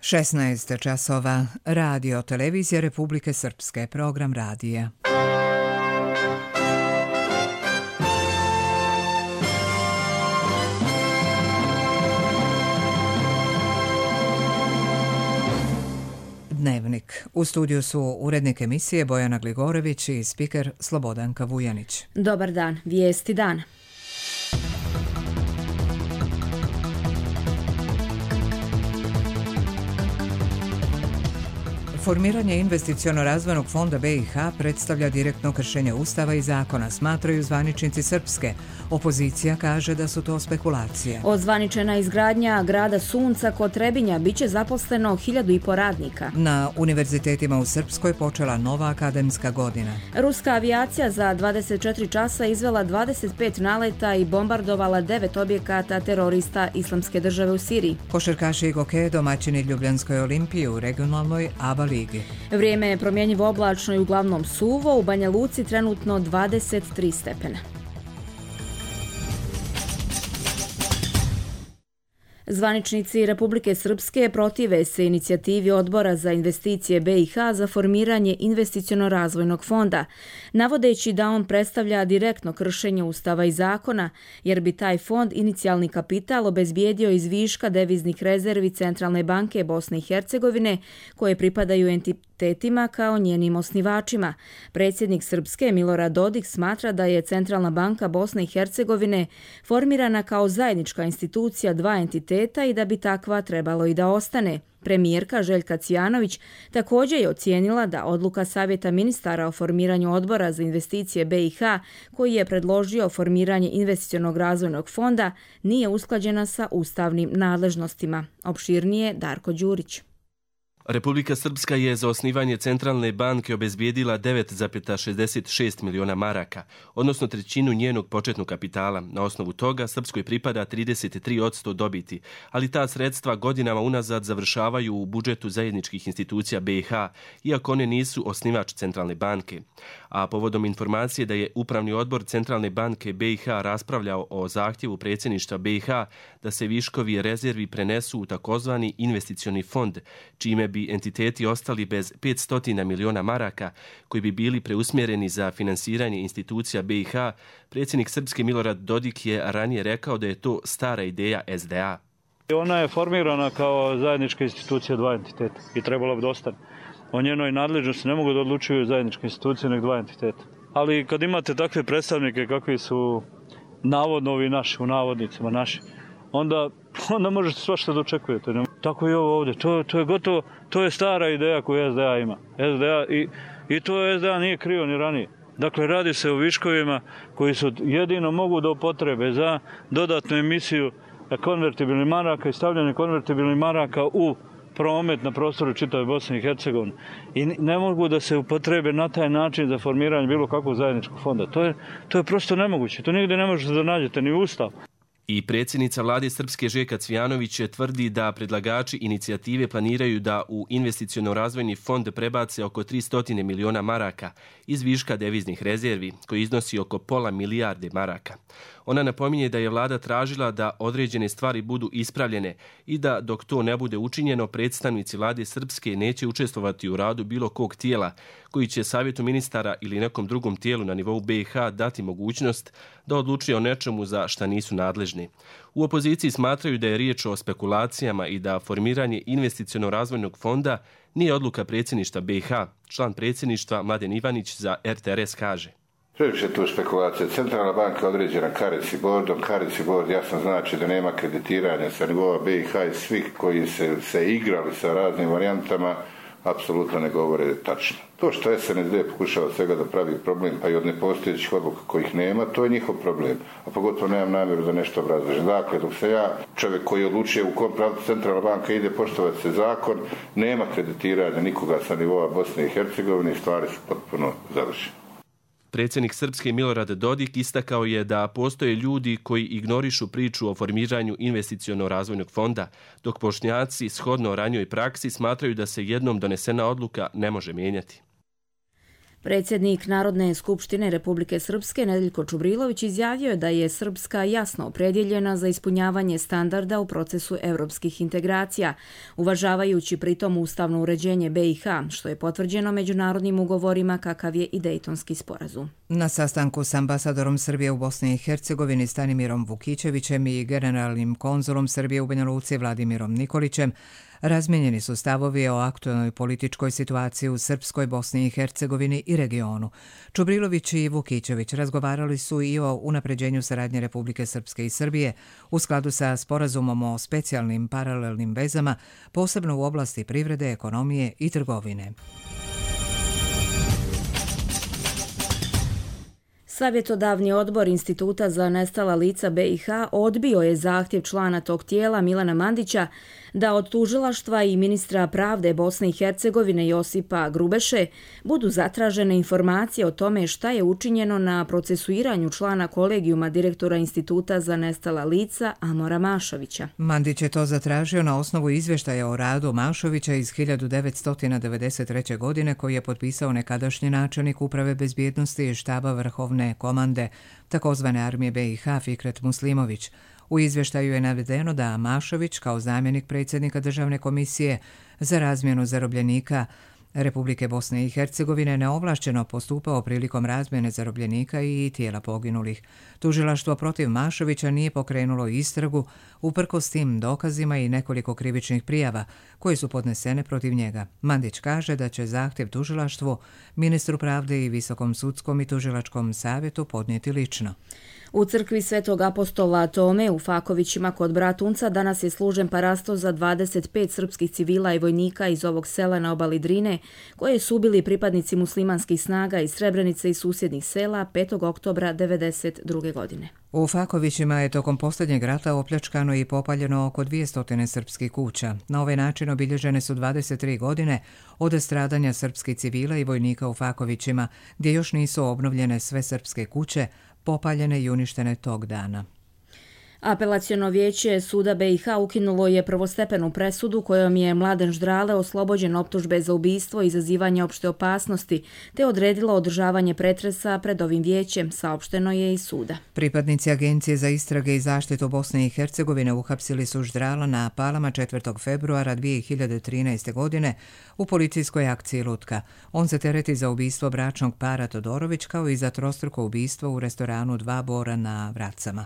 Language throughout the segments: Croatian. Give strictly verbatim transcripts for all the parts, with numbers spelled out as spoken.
šesnaest časova. Radio Televizija Republike Srpske. Program radija. Dnevnik. U studiju su urednik emisije Bojana Gligorević i spiker Slobodanka Vujanić. Dobar dan. Vijesti dana. Formiranje investiciono-razvojnog fonda B i H predstavlja direktno kršenje Ustava i zakona, smatraju zvaničnici Srpske. Opozicija kaže da su to spekulacije. Ozvaničena izgradnja grada Sunca kod Trebinja biće zaposleno hiljadu i po radnika. Na univerzitetima u Srpskoj počela nova akademska godina. Ruska avijacija za dvadeset četiri časa izvela dvadeset pet naleta i bombardovala devet objekata terorista Islamske države u Siriji. Košarkaši i gokeje domaćini Ljubljanskoj olimpiji u regionalnoj ABA ligi. Vrijeme je promjenjivo oblačno i uglavnom suvo, u Banja Luci trenutno dvadeset tri stepena. Zvaničnici Republike Srpske protive se inicijativi Odbora za investicije B i H za formiranje investiciono-razvojnog fonda, navodeći da on predstavlja direktno kršenje Ustava i zakona, jer bi taj fond inicijalni kapital obezbijedio iz viška deviznih rezervi Centralne banke Bosne i Hercegovine, koje pripadaju entitetima kao njenim osnivačima. Predsjednik Srpske Milorad Dodik smatra da je Centralna banka Bosne i Hercegovine formirana kao zajednička institucija dva entiteta i da bi takva trebalo i da ostane. Premijerka Željka Cvijanović također je ocijenila da odluka Savjeta ministara o formiranju Odbora za investicije B i H, koji je predložio formiranje investicionog razvojnog fonda, nije usklađena sa ustavnim nadležnostima. Opširnije Darko Đurić. Republika Srpska je za osnivanje Centralne banke obezbijedila devet zarez šezdeset šest miliona maraka, odnosno trećinu njenog početnog kapitala. Na osnovu toga Srpskoj pripada trideset tri posto dobiti, ali ta sredstva godinama unazad završavaju u budžetu zajedničkih institucija B i H, iako one nisu osnivač Centralne banke. A povodom informacije da je Upravni odbor Centralne banke B i H raspravljao o zahtjevu predsjedništva B i H da se viškovi rezervi prenesu u takozvani investicioni fond, čime bi entiteti ostali bez petsto miliona maraka koji bi bili preusmjereni za finansiranje institucija B i H, predsjednik Srpske Milorad Dodik je ranije rekao da je to stara ideja S D A. Ona je formirana kao zajednička institucija dva entiteta i trebalo bi da ostane. O njenoj nadležnosti ne mogu da odlučuju zajedničke institucije, nego dva entiteta. Ali kad imate takve predstavnike kakvi su navodno ovi naši, u navodnicima naši, onda, onda možete svašta da očekujete. Tako i ovo ovdje. To, to je gotovo, to je stara ideja koju S D A ima. S D A i, i to S D A nije krio ni ranije. Dakle, radi se o viškovima koji su jedino mogu da upotrebe za dodatnu emisiju konvertibilnih maraka i stavljanje konvertibilnih maraka u promet na prostoru čitave Bosne i Hercegovine. I ne mogu da se upotrebe na taj način za formiranje bilo kakvog zajedničkog fonda. To je, to je prosto nemoguće. To nigdje ne možete da nađete ni u Ustav. I predsjednica vlade Srpske Željka Cvijanović tvrdi da predlagači inicijative planiraju da u investiciono-razvojni fond prebace oko tristo miliona maraka iz viška deviznih rezervi, koji iznosi oko pola milijarde maraka. Ona napominje da je vlada tražila da određene stvari budu ispravljene i da dok to ne bude učinjeno, predstavnici vlade Srpske neće učestvovati u radu bilo kog tijela koji će Savjetu ministara ili nekom drugom tijelu na nivou B i H dati mogućnost da odlučuje o nečemu za šta nisu nadležni. U opoziciji smatraju da je riječ o spekulacijama i da formiranje investiciono-razvojnog fonda nije odluka predsjedništva B i H. Član predsjedništva Mladen Ivanić za R T R S kaže: Previše tu spekulacija. Centralna banka je određena Kareci bordom. Kareci bord jasno znači da nema kreditiranja sa nivova B i H i svih koji se, se igrali sa raznim varijantama apsolutno ne govore tačno. To što S N S D pokušava svega da pravi problem, pa i od nepostojećih odluka kojih nema, to je njihov problem. A pogotovo nemam namjeru da nešto obrazložim. Dakle, dok se ja, čovjek koji odlučuje u kom pravcu Centralna banka ide poštovati se zakon, nema kreditiranja nikoga sa nivoa Bosne i Hercegovine i stvari su potpuno završene. Predsjednik Srpske Milorad Dodik istakao je da postoje ljudi koji ignorišu priču o formiranju investiciono-razvojnog fonda, dok Bošnjaci shodno ranijoj praksi smatraju da se jednom donesena odluka ne može mijenjati. Predsjednik Narodne skupštine Republike Srpske Nedeljko Čubrilović izjavio je da je Srpska jasno opredjeljena za ispunjavanje standarda u procesu evropskih integracija, uvažavajući pritom ustavno uređenje B i H, što je potvrđeno međunarodnim ugovorima kakav je i Dejtonski sporazum. Na sastanku s ambasadorom Srbije u Bosni i Hercegovini Stanimirom Vukićevićem i generalnim konzulom Srbije u Banja Luci Vladimirom Nikolićem razmijenjeni su stavovi o aktualnoj političkoj situaciji u Srpskoj, Bosni i Hercegovini i regionu. Čubrilović i Vukićević razgovarali su i o unapređenju saradnje Republike Srpske i Srbije u skladu sa sporazumom o specijalnim paralelnim vezama, posebno u oblasti privrede, ekonomije i trgovine. Savjetodavni odbor Instituta za nestala lica B i H odbio je zahtjev člana tog tijela Milana Mandića da od tužilaštva i ministra pravde Bosne i Hercegovine Josipa Grubeše budu zatražene informacije o tome šta je učinjeno na procesuiranju člana kolegijuma direktora Instituta za nestala lica Amora Mašovića. Mandić je to zatražio na osnovu izvještaja o radu Mašovića iz hiljadu devetsto devedeset treće. godine koji je potpisao nekadašnji načelnik Uprave bezbjednosti i štaba Vrhovne komande takozvane armije B i H Fikret Muslimović. U izvještaju je navedeno da Mašović kao zamjenik predsjednika Državne komisije za razmjenu zarobljenika Republike Bosne i Hercegovine neovlašćeno postupao prilikom razmjene zarobljenika i tijela poginulih. Tužilaštvo protiv Mašovića nije pokrenulo istragu uprkos tim dokazima i nekoliko krivičnih prijava koje su podnesene protiv njega. Mandić kaže da će zahtjev tužilaštvu, ministru pravde i Visokom sudskom i tužilačkom savjetu podnijeti lično. U crkvi Svetog apostola Tome u Fakovićima kod Bratunca danas je služen parasto za dvadeset pet srpskih civila i vojnika iz ovog sela na obali Drine, koje su ubili pripadnici muslimanskih snaga iz Srebrenice i susjednih sela petog oktobra devedeset druge. godine. U Fakovićima je tokom posljednjeg rata opljačkano i popaljeno oko dvjesto srpskih kuća. Na ovaj način obilježene su dvadeset tri godine od stradanja srpskih civila i vojnika u Fakovićima, gdje još nisu obnovljene sve srpske kuće, popaljene i uništene tog dana. Apelaciono vijeće suda B i H ukinulo je prvostepenu presudu kojom je Mladen Ždrale oslobođen optužbe za ubistvo i izazivanje opšte opasnosti, te odredilo održavanje pretresa pred ovim vijećem, saopšteno je iz suda. Pripadnici Agencije za istrage i zaštitu Bosne i Hercegovine uhapsili su Ždrala na Palama četvrtog februara dvije hiljade trinaeste. godine u policijskoj akciji Lutka. On se tereti za ubistvo bračnog para Todorović kao i za trostruko ubistvo u restoranu Dva Bora na Vracama.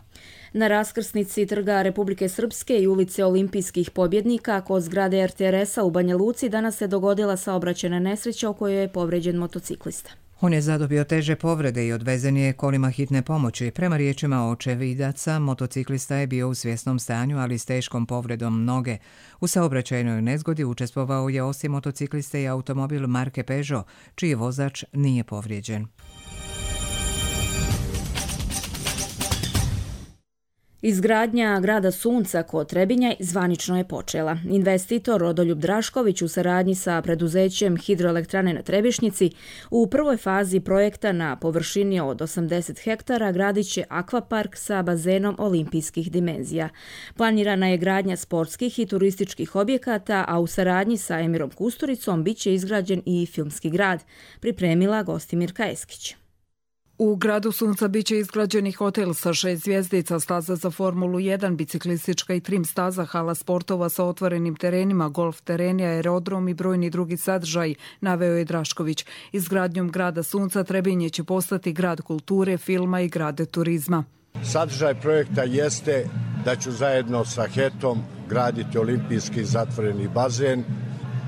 Na raskrsnici Trga Republike Srpske i ulice Olimpijskih pobjednika kod zgrade R T R S-a u Banja Luci danas se dogodila saobraćajna nesreća u kojoj je povređen motociklista. On je zadobio teže povrede i odvezen je kolima hitne pomoći. Prema riječima očevidaca, motociklista je bio u svjesnom stanju, ali s teškom povredom noge. U saobraćajnoj nezgodi učestvovao je osim motocikliste i automobil marke Peugeot, čiji vozač nije povrijeđen. Izgradnja grada Sunca kod Trebinja zvanično je počela. Investitor Rodoljub Drašković u saradnji sa preduzećem Hidroelektrane na Trebišnjici u prvoj fazi projekta na površini od osamdeset hektara gradit će akvapark sa bazenom olimpijskih dimenzija. Planirana je gradnja sportskih i turističkih objekata, a u saradnji sa Emirom Kusturicom bit će izgrađen i filmski grad, pripremila Gostimirka Eskić. U gradu Sunca biće izgrađeni hotel sa šest zvjezdica, staza za Formulu jedan, biciklistička i trim staza, hala sportova sa otvorenim terenima, golf tereni, aerodrom i brojni drugi sadržaj, naveo je Drašković. Izgradnjom grada Sunca Trebinje će postati grad kulture, filma i grad turizma. Sadržaj projekta jeste da ću zajedno sa Hetom graditi olimpijski zatvoreni bazen,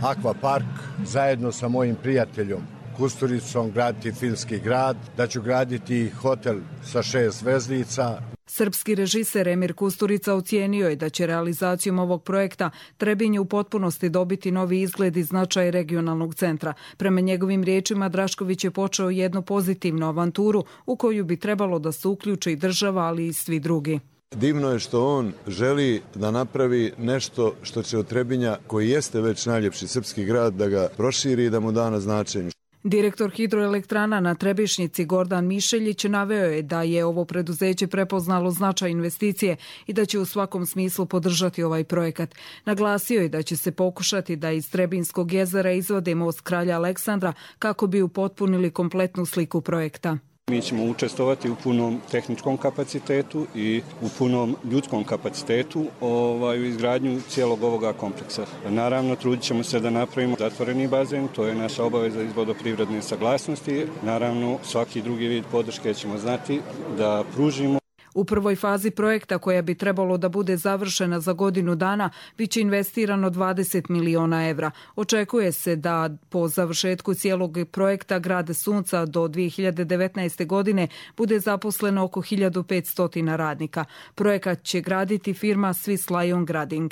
akvapark, zajedno sa mojim prijateljom Kusturicom graditi filmski grad, da ću graditi hotel sa šest zvezdica. Srpski režiser Emir Kusturica ocijenio je da će realizacijom ovog projekta Trebinje u potpunosti dobiti novi izgled i značaj regionalnog centra. Prema njegovim riječima, Drašković je počeo jednu pozitivnu avanturu u koju bi trebalo da se uključi i država, ali i svi drugi. Divno je što on želi da napravi nešto što će od Trebinja, koji jeste već najljepši srpski grad, da ga proširi i da mu da na značenju. Direktor hidroelektrana na Trebišnjici Gordan Mišeljić naveo je da je ovo preduzeće prepoznalo značaj investicije i da će u svakom smislu podržati ovaj projekat. Naglasio je da će se pokušati da iz Trebinskog jezera izvade most Kralja Aleksandra kako bi upotpunili kompletnu sliku projekta. Mi ćemo učestvovati u punom tehničkom kapacitetu i u punom ljudskom kapacitetu ovaj, u izgradnju cijelog ovoga kompleksa. Naravno, trudit ćemo se da napravimo zatvoreni bazen, to je naša obaveza iz vodoprivredne saglasnosti. Naravno, svaki drugi vid podrške ćemo znati da pružimo. U prvoj fazi projekta, koja bi trebalo da bude završena za godinu dana, biće investirano dvadeset miliona evra. Očekuje se da po završetku cijelog projekta Grad Sunca do dvije hiljade devetnaeste. godine bude zaposleno oko hiljadu petsto radnika. Projekat će graditi firma Swiss Lion Grading.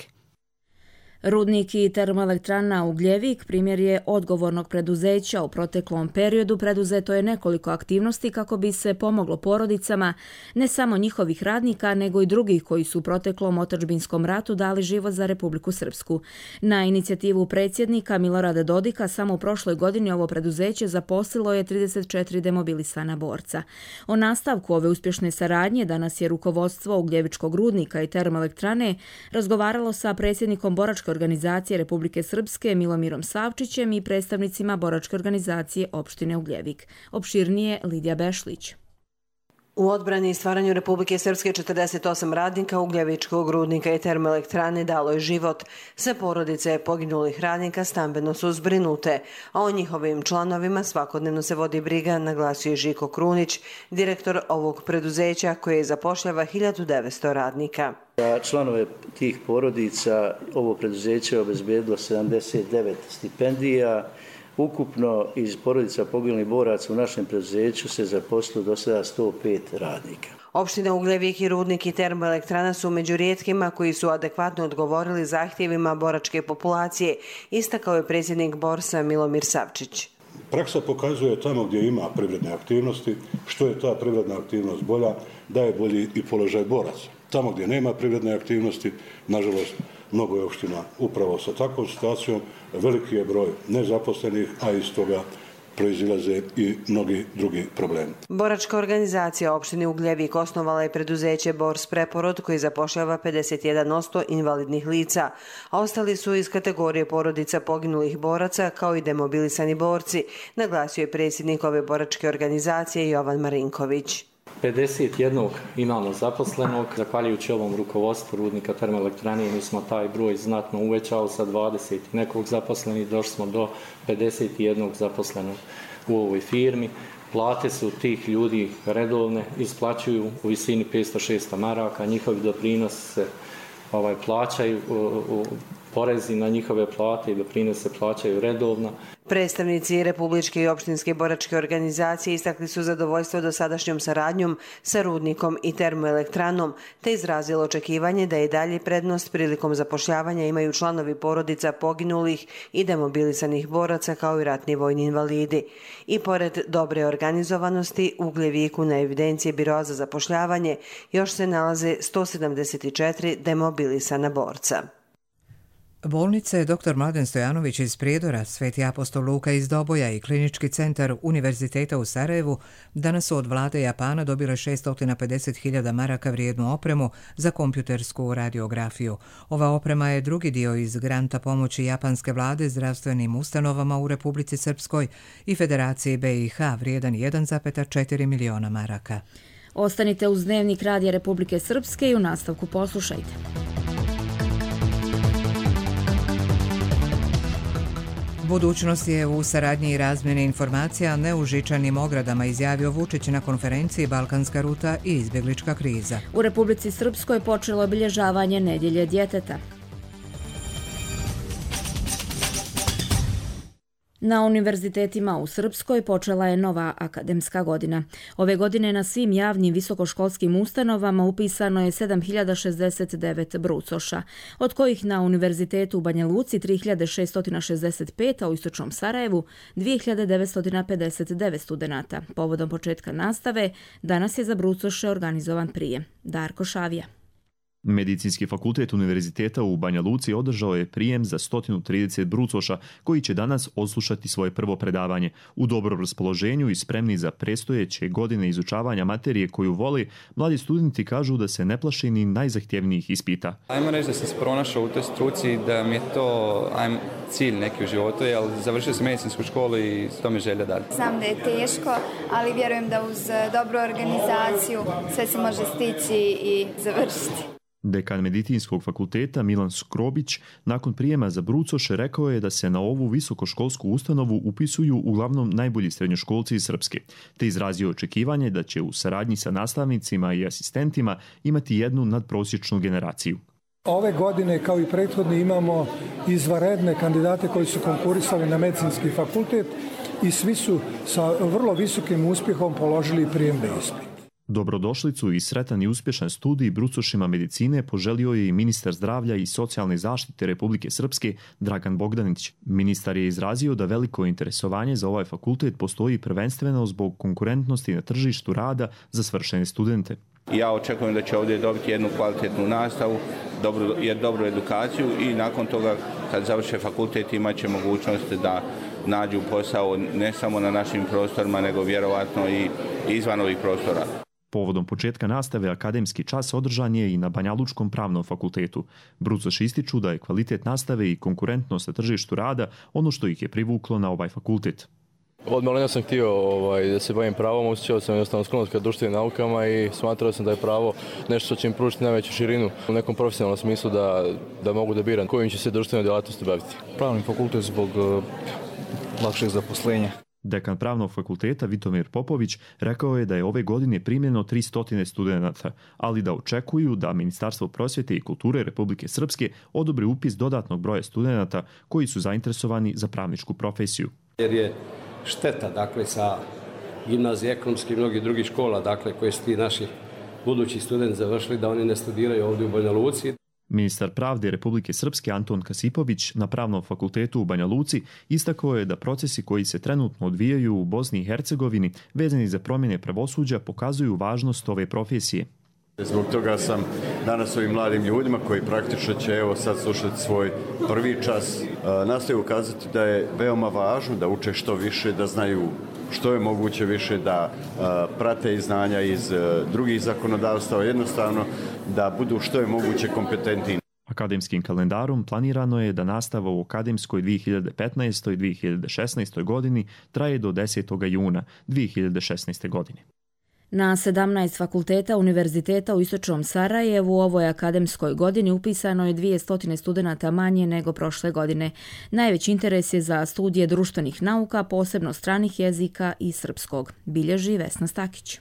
Rudnik i termoelektrana Ugljevik primjer je odgovornog preduzeća. U proteklom periodu preduzeto je nekoliko aktivnosti kako bi se pomoglo porodicama, ne samo njihovih radnika, nego i drugih koji su u proteklom otadžbinskom ratu dali život za Republiku Srpsku. Na inicijativu predsjednika Milorada Dodika samo u prošloj godini ovo preduzeće zaposlilo je trideset četiri demobilisana borca. O nastavku ove uspješne saradnje danas je rukovodstvo Ugljevičkog rudnika i termoelektrane razgovaralo sa predsjednikom boračke organizacije Republike Srpske Milomirom Savčićem i predstavnicima boračke organizacije opštine Ugljevik. Opširnije Lidija Bešlić. U odbrani i stvaranju Republike Srpske četrdeset osam radnika Ugljevičkog rudnika i termoelektrane dalo je život. Sve porodice poginulih radnika stambeno su zbrinute, a o njihovim članovima svakodnevno se vodi briga, naglasio je Žiko Krunić, direktor ovog preduzeća koje zapošljava hiljadu devetsto radnika. Za članove tih porodica ovo preduzeće je obezbedilo sedamdeset devet stipendija. Ukupno iz porodica poginulih boraca u našem preduzeću se zaposlilo do sada sto pet radnika. Opština Ugljevik i rudnik i termoelektrana su među rijetkima koji su adekvatno odgovorili zahtjevima boračke populacije, istakao je predsjednik Borsa Milomir Savčić. Praksa pokazuje tamo gdje ima privredne aktivnosti, što je ta privredna aktivnost bolja, da je bolji i položaj boraca. Tamo gdje nema privredne aktivnosti, nažalost, mnogo je opština upravo sa takvom situacijom, veliki je broj nezaposlenih, a iz toga proizilaze i mnogi drugi problemi. Boračka organizacija opštine Ugljevik osnovala je preduzeće Bors Preporod koji zapošljava pedeset jedan posto invalidnih lica, a ostali su iz kategorije porodica poginulih boraca kao i demobilisani borci, naglasio je predsjednik ove boračke organizacije Jovan Marinković. pedeset jedan imamo zaposlenog. Zahvaljujući ovom rukovodstvu rudnika termoelektrane mi smo taj broj znatno uvećao sa dvadeset nekog zaposlenih, došli smo do pedeset jedan zaposlenog u ovoj firmi. Plate su tih ljudi redovne, isplaćuju u visini petsto šesto maraka, njihovi doprinosi se ovaj, plaćaju, u, porezi na njihove plate i doprinose plaćaju redovno. Predstavnici Republičke i opštinske boračke organizacije istakli su zadovoljstvo dosadašnjom saradnjom sa rudnikom i termoelektranom, te izrazilo očekivanje da i dalje prednost prilikom zapošljavanja imaju članovi porodica poginulih i demobilisanih boraca kao i ratni vojni invalidi. I pored dobre organizovanosti, u Ugljeviku na evidenciji Biroa za zapošljavanje još se nalaze sto sedamdeset četiri demobilisana borca. Bolnice doktor Mladen Stojanović iz Prijedora, Sveti apostol Luka iz Doboja i Klinički centar Univerziteta u Sarajevu danas su od vlade Japana dobile šesto pedeset hiljada maraka vrijednu opremu za kompjutersku radiografiju. Ova oprema je drugi dio iz granta pomoći japanske vlade zdravstvenim ustanovama u Republici Srpskoj i Federaciji B i H vrijedan jedan zarez četiri miliona maraka. Ostanite uz Dnevnik Radija Republike Srpske i u nastavku poslušajte. Budućnost je u saradnji i razmjeni informacija ne u žičanim ogradama, izjavio Vučić na konferenciji Balkanska ruta i izbjeglička kriza. U Republici Srpskoj počelo obilježavanje Nedjelje djeteta. Na univerzitetima u Srpskoj počela je nova akademska godina. Ove godine na svim javnim visokoškolskim ustanovama upisano je sedam hiljada šezdeset devet brucoša, od kojih na Univerzitetu u Banja Luci tri hiljade šesto šezdeset pet, a u Istočnom Sarajevu dvije hiljade devetsto pedeset devet studenata. Povodom početka nastave danas je za brucoše organizovan prijem. Darko Šavija. Medicinski fakultet Univerziteta u Banja Luci održao je prijem za sto trideset brucoša koji će danas odslušati svoje prvo predavanje. U dobrom raspoloženju i spremni za predstojeće godine izučavanja materije koju vole, mladi studenti kažu da se ne plaše ni najzahtjevnijih ispita. Ajmo reći da sam se pronašao u toj struci, da mi je to ajmo, cilj neki u životu, jer završio sam medicinsku školu i to mi je želja dalje. Znam da je teško, ali vjerujem da uz dobru organizaciju sve se može stići i završiti. Dekan Medicinskog fakulteta Milan Skrobić nakon prijema za brucoše rekao je da se na ovu visokoškolsku ustanovu upisuju uglavnom najbolji srednjoškolci iz Srpske, te izrazio očekivanje da će u saradnji sa nastavnicima i asistentima imati jednu nadprosječnu generaciju. Ove godine, kao i prethodne, imamo izvanredne kandidate koji su konkurisali na medicinski fakultet i svi su sa vrlo visokim uspjehom položili prijemni ispit. Dobrodošlicu i sretan i uspješan studij brucošima medicine poželio je i ministar zdravlja i socijalne zaštite Republike Srpske Dragan Bogdanić. Ministar je izrazio da veliko interesovanje za ovaj fakultet postoji prvenstveno zbog konkurentnosti na tržištu rada za svršene studente. Ja očekujem da će ovdje dobiti jednu kvalitetnu nastavu, dobru, dobru edukaciju i nakon toga kad završe fakultet imat će mogućnost da nađu posao ne samo na našim prostorima nego vjerovatno i izvan ovih prostora. Povodom početka nastave akademski čas održan je i na Banjalučkom pravnom fakultetu. Brucoši ističu da je kvalitet nastave i konkurentnost na tržištu rada ono što ih je privuklo na ovaj fakultet. Od malena sam htio ovaj, da se bavim pravom, osjećao sam jednostavno sklonost ka društvenim naukama i smatrao sam da je pravo nešto što će im pružiti najveću širinu u nekom profesionalnom smislu da, da mogu da biram kojim će se društvenoj djelatnosti baviti. Pravni fakultet zbog uh, lakšeg zaposlenja. Dekan pravnog fakulteta Vitomir Popović rekao je da je ove godine primljeno tristo studenata, ali da očekuju da Ministarstvo prosvjete i kulture Republike Srpske odobri upis dodatnog broja studenata koji su zainteresovani za pravničku profesiju. Jer je šteta, dakle, sa gimnazije ekonomske i mnogih drugih škola, dakle, koje su ti naši budući studenti završili, da oni ne studiraju ovdje u Banja Luci. Ministar pravde Republike Srpske Anton Kasipović na Pravnom fakultetu u Banja Luci istakao je da procesi koji se trenutno odvijaju u Bosni i Hercegovini vezani za promjene pravosuđa pokazuju važnost ove profesije. Zbog toga sam danas ovim mladim ljudima koji praktično će evo sad slušati svoj prvi čas nastoji ukazati da je veoma važno da uče što više, da znaju što je moguće više, da uh, prate i znanja iz uh, drugih zakonodavstava, jednostavno da budu što je moguće kompetentni. Akademskim kalendarom planirano je da nastava u akademskoj dvije hiljade petnaestoj dvije hiljade šesnaestoj godini traje do desetog juna dvije hiljade šesnaeste godine. Na sedamnaest fakulteta Univerziteta u Istočnom Sarajevu u ovoj akademskoj godini upisano je dvjesto studenata manje nego prošle godine. Najveći interes je za studije društvenih nauka, posebno stranih jezika i srpskog, bilježi Vesna Stakić.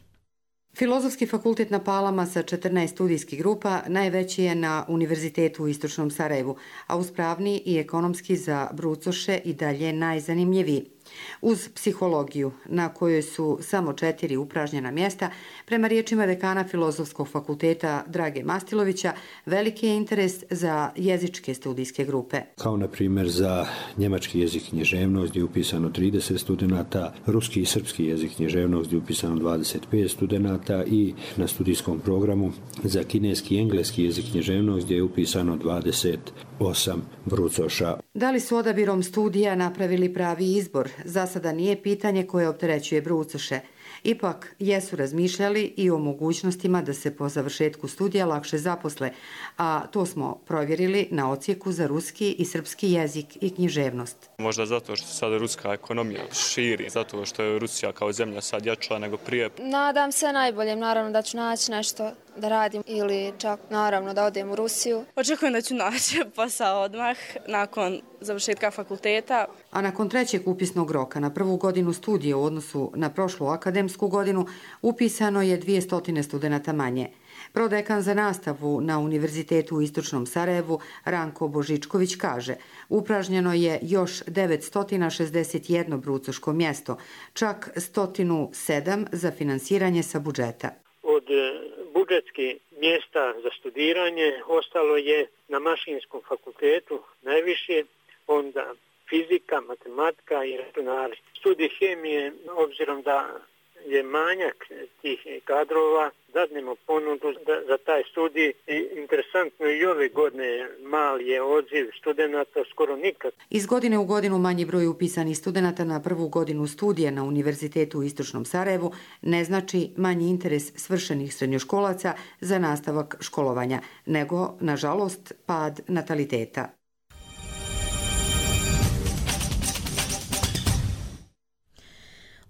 Filozofski fakultet na Palama sa četrnaest studijskih grupa najveći je na Univerzitetu u Istočnom Sarajevu, a uz pravni i ekonomski za brucoše i dalje najzanimljiviji. Uz psihologiju, na kojoj su samo četiri upražnjena mjesta, prema riječima dekana Filozofskog fakulteta Drage Mastilovića, veliki je interes za jezičke studijske grupe. Kao na primjer za njemački jezik književnost gdje je upisano trideset studenata, ruski i srpski jezik književnost gdje je upisano dvadeset pet studenata i na studijskom programu za kineski i engleski jezik književnost gdje je upisano dvadeset osam brucoša. Da li su odabirom studija napravili pravi izbor? Za sada nije pitanje koje opterećuje brucoše. Ipak jesu razmišljali i o mogućnostima da se po završetku studija lakše zaposle, a to smo provjerili na odsjeku za ruski i srpski jezik i književnost. Možda zato što se sada ruska ekonomija širi, zato što je Rusija kao zemlja sad jača nego prije. Nadam se najboljem, naravno da ću naći nešto da radim ili čak naravno da odem u Rusiju. Očekujem da ću naći posao odmah nakon završetka fakulteta. A nakon trećeg upisnog roka na prvu godinu studija u odnosu na prošlu akademsku godinu upisano je dvjesto studenata manje. Prodekan za nastavu na Univerzitetu u Istočnom Sarajevu Ranko Božičković kaže, upražnjeno je još devetsto šezdeset jedno brucoško mjesto, čak sto sedam za finansiranje sa budžeta. Od budžetskih mjesta za studiranje ostalo je na Mašinskom fakultetu najviše, onda fizika, matematika i računari. Studij hemije, obzirom da je manjak tih kadrova, dadnemo ponudu za taj studij. I interesantno i ove godine mali je odziv studenata, skoro nikad. Iz godine u godinu manji broj upisanih studenata na prvu godinu studija na Univerzitetu u Istočnom Sarajevu ne znači manji interes svršenih srednjoškolaca za nastavak školovanja, nego, nažalost, pad nataliteta.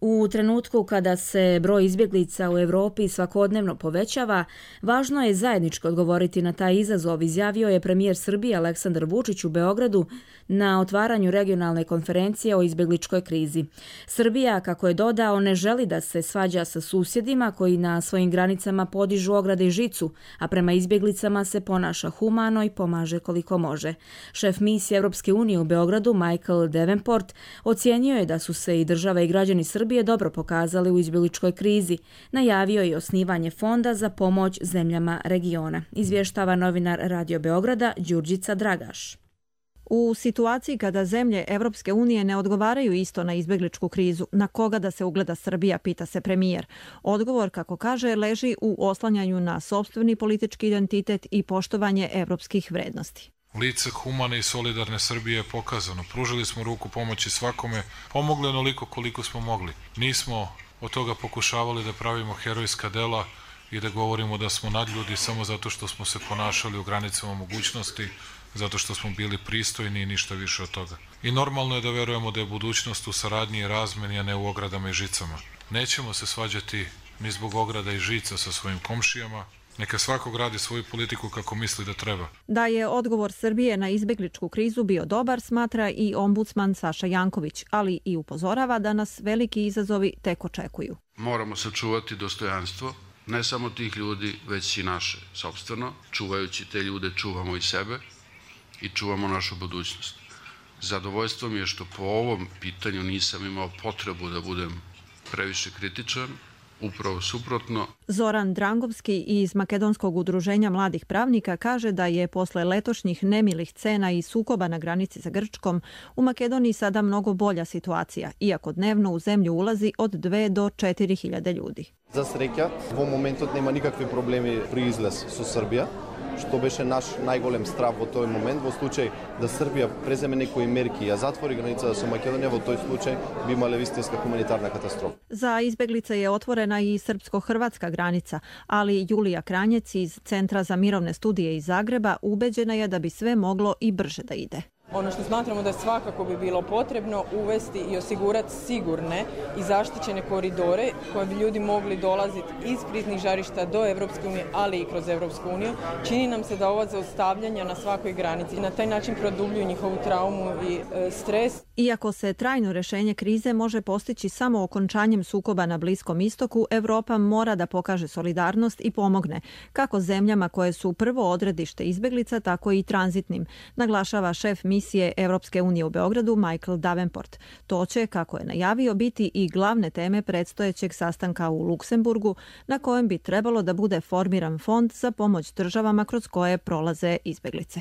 U trenutku kada se broj izbjeglica u Europi svakodnevno povećava, važno je zajednički odgovoriti na taj izazov, izjavio je premijer Srbije Aleksandar Vučić u Beogradu na otvaranju regionalne konferencije o izbjegličkoj krizi. Srbija, kako je dodao, ne želi da se svađa sa susjedima koji na svojim granicama podižu ograde i žicu, a prema izbjeglicama se ponaša humano i pomaže koliko može. Šef misije Europske unije u Beogradu, Michael Davenport, ocijenio je da su se i država i građani Srbije je dobro pokazali u izbjegličkoj krizi. Najavio je osnivanje fonda za pomoć zemljama regiona. Izvještava novinar Radio Beograda Đurđica Dragaš. U situaciji kada zemlje Evropske unije ne odgovaraju isto na izbjegličku krizu, na koga da se ugleda Srbija, pita se premijer. Odgovor, kako kaže, leži u oslanjanju na sopstveni politički identitet i poštovanje evropskih vrednosti. Lice humane i solidarne Srbije je pokazano. Pružili smo ruku pomoći svakome, pomogli onoliko koliko smo mogli. Nismo od toga pokušavali da pravimo herojska dela i da govorimo da smo nadljudi samo zato što smo se ponašali u granicama mogućnosti, zato što smo bili pristojni i ništa više od toga. I normalno je da verujemo da je budućnost u saradnji i razmeni, a ne u ogradama i žicama. Nećemo se svađati ni zbog ograda i žica sa svojim komšijama. Neka svakog radi svoju politiku kako misli da treba. Da je odgovor Srbije na izbjegličku krizu bio dobar, smatra i ombudsman Saša Janković, ali i upozorava da nas veliki izazovi tek očekuju. Moramo sačuvati dostojanstvo, ne samo tih ljudi, već i naše sopstveno. Čuvajući te ljude, čuvamo i sebe i čuvamo našu budućnost. Zadovoljstvo mi je što po ovom pitanju nisam imao potrebu da budem previše kritičan, upravo suprotno. Zoran Drangovski iz Makedonskog udruženja mladih pravnika kaže da je posle letošnjih nemilih scena i sukoba na granici sa Grčkom u Makedoniji sada mnogo bolja situacija, iako dnevno u zemlju ulazi od dve do četiri hiljade ljudi. За среќа, во моментот нема никакви проблеми при излез со Србија, што беше наш најголем страв во тој момент. Во случај да Србија преземе некои мерки, а затвори границата со Македонија, во тој случај би имале вистинска хуманитарна катастрофа. Za izbeglice je otvorena i srpsko-hrvatska granica, ali Julija Kranjec iz Centra za mirovne studije iz Zagreba ubeđena je da bi sve moglo i brže da ide. Ono što smatramo da svakako bi bilo potrebno uvesti i osigurati sigurne i zaštićene koridore koje bi ljudi mogli dolaziti iz kriznih žarišta do Evropske unije, ali i kroz Evropsku uniju. Čini nam se da ova zaustavljanja na svakoj granici na taj način produbljuju njihovu traumu i e, stres. Iako se trajno rešenje krize može postići samo okončanjem sukoba na Bliskom istoku, Evropa mora da pokaže solidarnost i pomogne, kako zemljama koje su prvo odredište izbeglica, tako i tranzitnim, naglašava šef misije Evropske unije u Beogradu Michael Davenport. To će, kako je najavio, biti i glavne teme predstojećeg sastanka u Luksemburgu, na kojem bi trebalo da bude formiran fond za pomoć državama kroz koje prolaze izbeglice.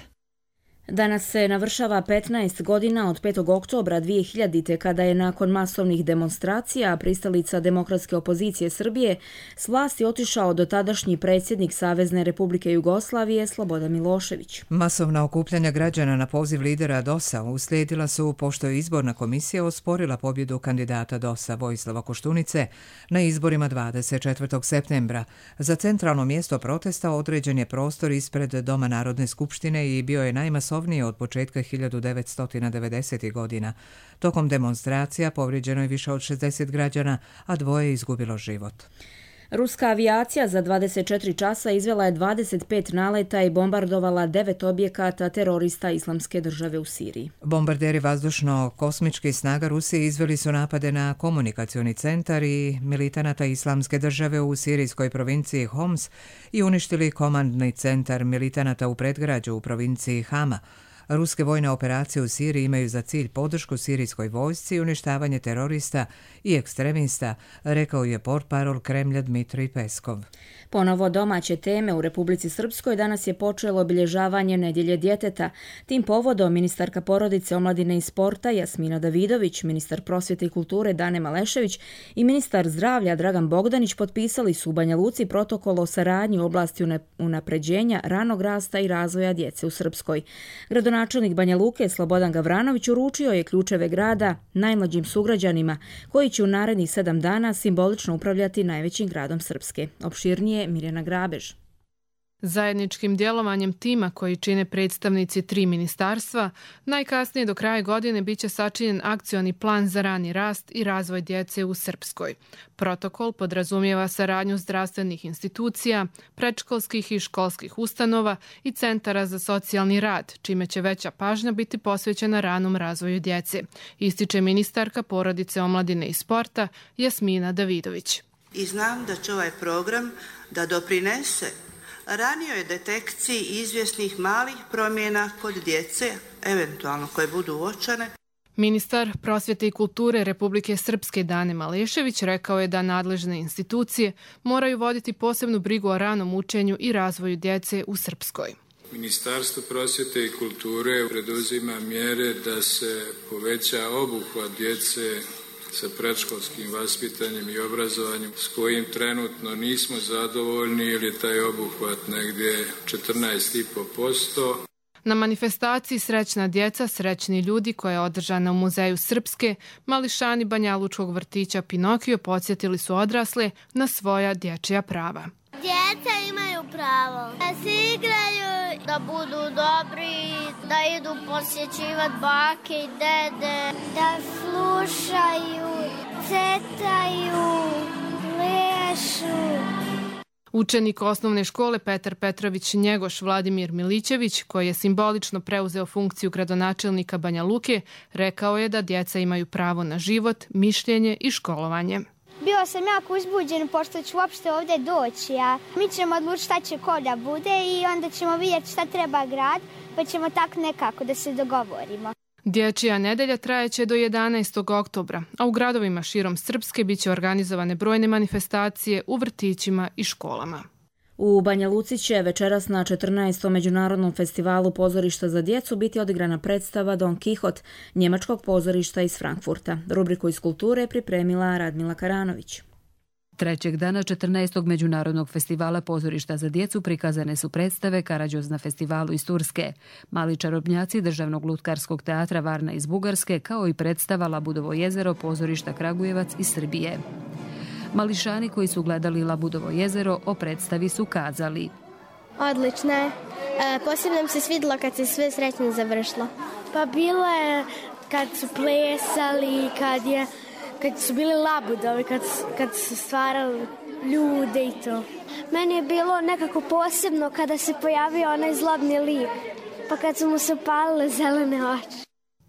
Danas se navršava petnaest godina od petog oktobra dvije hiljadite. kada je nakon masovnih demonstracija pristalica demokratske opozicije Srbije s vlasti otišao dotadašnji predsjednik Savezne Republike Jugoslavije Slobodan Milošević. Masovna okupljanja građana na poziv lidera D O S-a uslijedila su pošto je izborna komisija osporila pobjedu kandidata D O S-a Vojislava Koštunice na izborima dvadeset četvrtog septembra. Za centralno mjesto protesta određen je prostor ispred Doma Narodne skupštine i bio je najmasovniji od početka hiljadu devetsto devedesetih godina. Tokom demonstracija povrijeđeno je više od šezdeset građana, a dvoje je izgubilo život. Ruska avijacija za dvadeset četiri časa izvela je dvadeset pet naleta i bombardovala devet objekata terorista Islamske države u Siriji. Bombarderi vazdušno-kosmičkih snaga Rusije izveli su napade na komunikacioni centar i militanata Islamske države u sirijskoj provinciji Homs i uništili komandni centar militanata u predgrađu u provinciji Hama. Ruske vojne operacije u Siriji imaju za cilj podršku sirijskoj vojsci i uništavanje terorista i ekstremista, rekao je portparol Kremlja Dmitrij Peskov. Ponovo domaće teme u Republici Srpskoj danas je počelo obilježavanje Nedjelje djeteta. Tim povodom ministarka porodice, omladine i sporta Jasmina Davidović, ministar prosvjete i kulture Dane Malešević i ministar zdravlja Dragan Bogdanić potpisali su u Banja Luci protokol o saradnji u oblasti unapređenja ranog rasta i razvoja djece u Srpskoj. Gradonačelnik Banja Luke Slobodan Gavranović uručio je ključeve grada najmlađim sugrađanima koji će u narednih sedam dana simbolično upravljati najvećim gradom Srpske. Opširnije Mirjana Grabež. Zajedničkim djelovanjem tima koji čine predstavnici tri ministarstva, najkasnije do kraja godine biće sačinjen akcioni plan za rani rast i razvoj djece u Srpskoj. Protokol podrazumijeva saradnju zdravstvenih institucija, predškolskih i školskih ustanova i centara za socijalni rad, čime će veća pažnja biti posvećena ranom razvoju djece, ističe ministarka porodice, omladine i sporta Jasmina Davidović. I znam da će ovaj program da doprinese ranijoj detekciji izvjesnih malih promjena kod djece, eventualno koje budu uočene. Ministar prosvjete i kulture Republike Srpske Dane Malešević rekao je da nadležne institucije moraju voditi posebnu brigu o ranom učenju i razvoju djece u Srpskoj. Ministarstvo prosvjete i kulture preduzima mjere da se poveća obuhvat djece sa predškolskim vaspitanjem i obrazovanjem s kojim trenutno nismo zadovoljni ili je taj obuhvat negdje četrnaest zarez pet posto. Na manifestaciji Srećna djeca, srećni ljudi koja je održana u Muzeju Srpske, mališani Banjalučkog vrtića Pinokio podsjetili su odrasle na svoja dječja prava. Djeca imaju pravo da se igraju, da budu dobri, da idu posjećivati bake i dede, da slušaju, cetaju, plešu. Učenik osnovne škole Petar Petrović Njegoš Vladimir Milićević, koji je simbolično preuzeo funkciju gradonačelnika Banja Luke, rekao je da djeca imaju pravo na život, mišljenje i školovanje. Bio sam jako uzbuđen pošto ću uopšte ovdje doći, a mi ćemo odlučiti šta će ko da bude i onda ćemo vidjeti šta treba grad, pa ćemo tako nekako da se dogovorimo. Dječja nedelja trajeće do jedanaestog oktobra, a u gradovima širom Srpske biće organizovane brojne manifestacije u vrtićima i školama. U Banja Luci će večeras na četrnaestom međunarodnom festivalu pozorišta za djecu biti odigrana predstava Don Kihot, njemačkog pozorišta iz Frankfurta. Rubriku iz kulture je pripremila Radmila Karanović. Trećeg dana četrnaestog međunarodnog festivala pozorišta za djecu prikazane su predstave Karađoz na festivalu iz Turske, Mali čarobnjaci Državnog lutkarskog teatra Varna iz Bugarske, kao i predstava Labudovo jezero pozorišta Kragujevac iz Srbije. Mališani koji su gledali Labudovo jezero o predstavi su kazali: Odlično je. E, posebno nam se svidjelo kad se sve srećno završilo. Pa bilo je kad su plesali, kad, je, kad su bili labudovi, kad, kad su stvarali ljude i to. Meni je bilo nekako posebno kada se pojavio onaj zlobni lik, pa kad su mu se upalile zelene oči.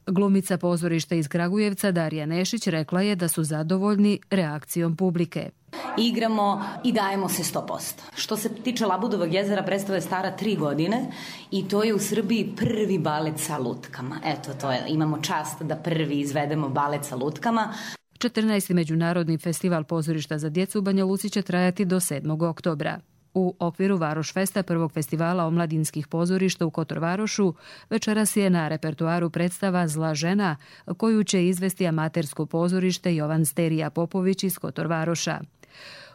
Glumica pozorišta iz Kragujevca Darija Nešić rekla je da su zadovoljni reakcijom publike. Igramo i dajemo se sto posto. Što se tiče Labudovog jezera, predstava je stara tri godine i to je u Srbiji prvi balet sa lutkama. Eto, to je, imamo čast da prvi izvedemo balet sa lutkama. četrnaesti međunarodni festival pozorišta za djecu u Banja Luci će trajati do sedmog oktobra. U okviru Varoš Festa, prvog festivala omladinskih pozorišta u Kotor Varošu, večeras je na repertuaru predstava Zla žena, koju će izvesti amatersko pozorište Jovan Sterija Popović iz Kotor Varoša.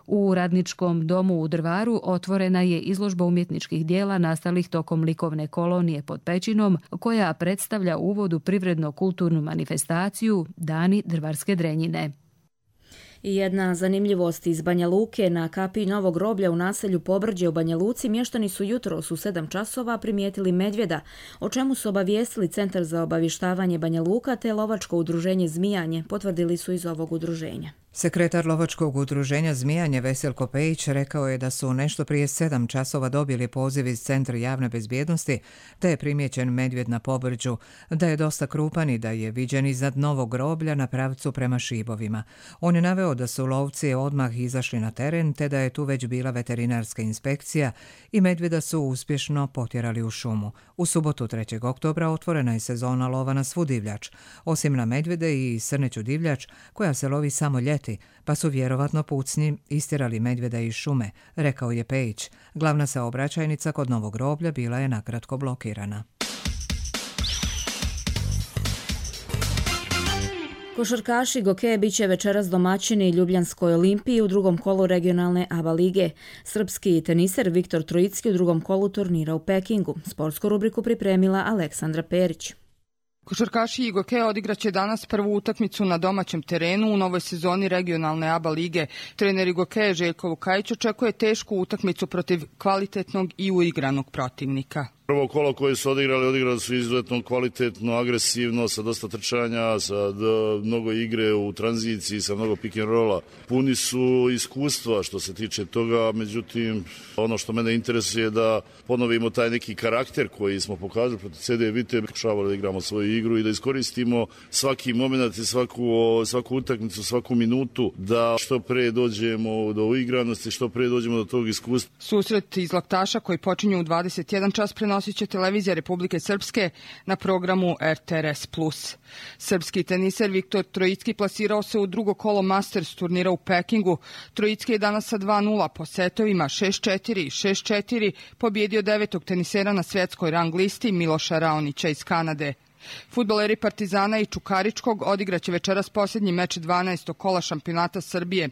U Radničkom domu u Drvaru otvorena je izložba umjetničkih dijela nastalih tokom likovne kolonije pod Pećinom, koja predstavlja uvod u privredno-kulturnu manifestaciju Dani drvarske drenjine. I jedna zanimljivost iz Banja Luke: na kapiji Novog groblja u naselju Pobrđe u Banja Luci mještani su jutros u sedam časova primijetili medvjeda, o čemu su obavijestili Centar za obavještavanje Banja Luka te lovačko udruženje Zmijanje, potvrdili su iz ovog udruženja. Sekretar lovačkog udruženja Zmijanje Veselko Pejić rekao je da su nešto prije sedam časova dobili poziv iz Centra javne bezbjednosti, da je primijećen medvjed na pobrđu, da je dosta krupan i da je viđen iznad Novog groblja na pravcu prema Šibovima. On je naveo da su lovci odmah izašli na teren, te da je tu već bila veterinarska inspekcija i medvjeda su uspješno potjerali u šumu. U subotu trećeg oktobra otvorena je sezona lova na svu divljač, osim na medvjede i srneću divljač koja se lovi samo ljeti, pa su vjerovatno pucnji istjerali medvjeda iz šume, rekao je Pejić. Glavna saobraćajnica kod Novog groblja bila je nakratko blokirana. Košarkaši Gokeje bit će večeras domaćini Ljubljanskoj Olimpiji u drugom kolu regionalne A B A lige. Srpski teniser Viktor Trojicki u drugom kolu turnira u Pekingu. Sportsku rubriku pripremila Aleksandra Perić. Košarkaši Igoke odigraće danas prvu utakmicu na domaćem terenu u novoj sezoni regionalne A B A lige. Trener Igoke Željko Vukajić očekuje tešku utakmicu protiv kvalitetnog i uigranog protivnika. Prvo kolo koje su odigrali, odigrali su izuzetno kvalitetno, agresivno, sa dosta trčanja, sa mnogo igre u tranziciji, sa mnogo pick and rolla. Puni su iskustva što se tiče toga, međutim, ono što mene interesuje je da ponovimo taj neki karakter koji smo pokazali protiv C D Vite, pokušavali da igramo svoju igru i da iskoristimo svaki moment i svaku, svaku utakmicu, svaku minutu, da što pre dođemo do uigranosti, što pre dođemo do tog iskustva. Susret iz Laktaša koji počinju u dvadeset jedan čas prenosi će televizija Republike Srpske na programu R T R S plus. Srpski teniser Viktor Trojicki plasirao se u drugo kolo Masters turnira u Pekingu. Trojicki je danas sa dva nula po setovima šest četiri, šest četiri pobjedio devetog tenisera na svjetskoj rang listi Miloša Raonića iz Kanade. Fudbaleri Partizana i Čukaričkog odigraće večeras posljednji meč dvanaestog kola šampionata Srbije.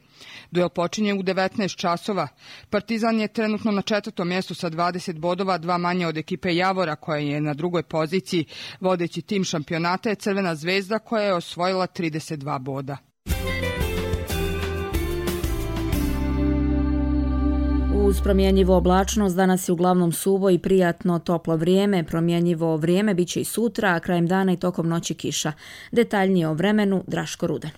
Duel počinje u devetnaest časova. Partizan je trenutno na četvrtom mjestu sa dvadeset bodova, dva manje od ekipe Javora koja je na drugoj poziciji. Vodeći tim šampionata je Crvena zvezda koja je osvojila trideset dva boda. Uz promjenjivo oblačnost danas je uglavnom suvo i prijatno toplo vrijeme. Promjenjivo vrijeme bit će i sutra, a krajem dana i tokom noći kiša. Detaljnije o vremenu Draško Ruden.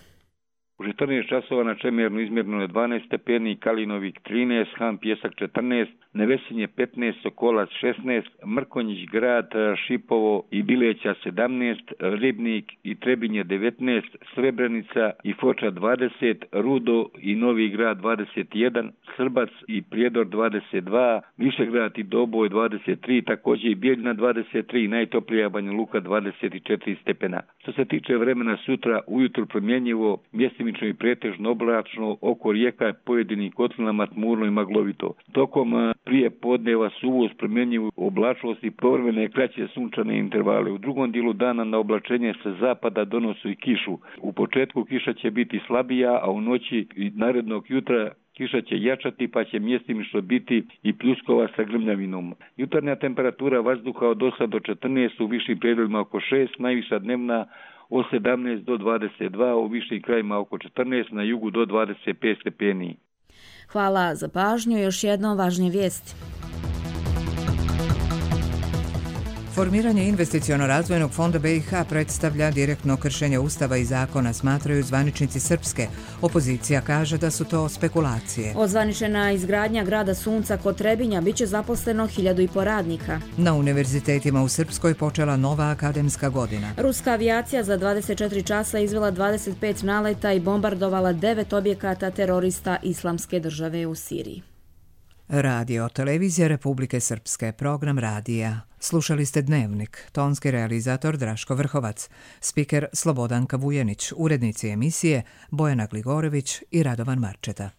U četrnaest časova na Čemernu izmjereno je dvanaest stepeni, Kalinovik trinaest, Han Pjesak četrnaest, Nevesinje petnaest, Sokolac šesnaest, Mrkonjić Grad, Šipovo i Bileća sedamnaest, Ribnik i Trebinje devetnaest, Srebrenica i Foča dvadeset, Rudo i Novi Grad dvadeset jedan, Srbac i Prijedor dvadeset dva, Višegrad i Doboj dvadeset tri, također i Bijeljina dvadeset tri, najtoplija Banja Luka dvadeset četiri stepena. Što se tiče vremena sutra, ujutro promjenjivo, mjestimično i pretežno oblačno, oko rijeka pojedinim kotlinama tmurno i maglovito. Tokom prije podneva suvo uz promjenjivu oblačnost i povremene kraće sunčane intervale. U drugom dijelu dana na oblačenje sa zapada donosu i kišu. U početku kiša će biti slabija, a u noći i narednog jutra kiša će jačati pa će mjestimično biti i pljuskova sa grmljavinom. Jutarnja temperatura vazduha od osam do četrnaest, u višim predjelima oko šest, najviša dnevna od sedamnaest do dvadeset dva, u višim krajima oko četrnaest, na jugu do dvadeset pet stepeni. Hvala za pažnju. Još jednom važnije vijesti. Formiranje investiciono-razvojnog fonda B i H predstavlja direktno kršenje Ustava i zakona, smatraju zvaničnici Srpske. Opozicija kaže da su to spekulacije. Ozvaničena izgradnja grada Sunca kod Trebinja biće zaposleno hiljadu i po radnika. Na univerzitetima u Srpskoj počela nova akademska godina. Ruska avijacija za dvadeset četiri časa izvela dvadeset pet naleta i bombardovala devet objekata terorista Islamske države u Siriji. Radio televizija Republike Srpske, program radija. Slušali ste Dnevnik, tonski realizator Draško Vrhovac, spiker Slobodanka Vujenić, urednici emisije Bojana Gligorević i Radovan Marčeta.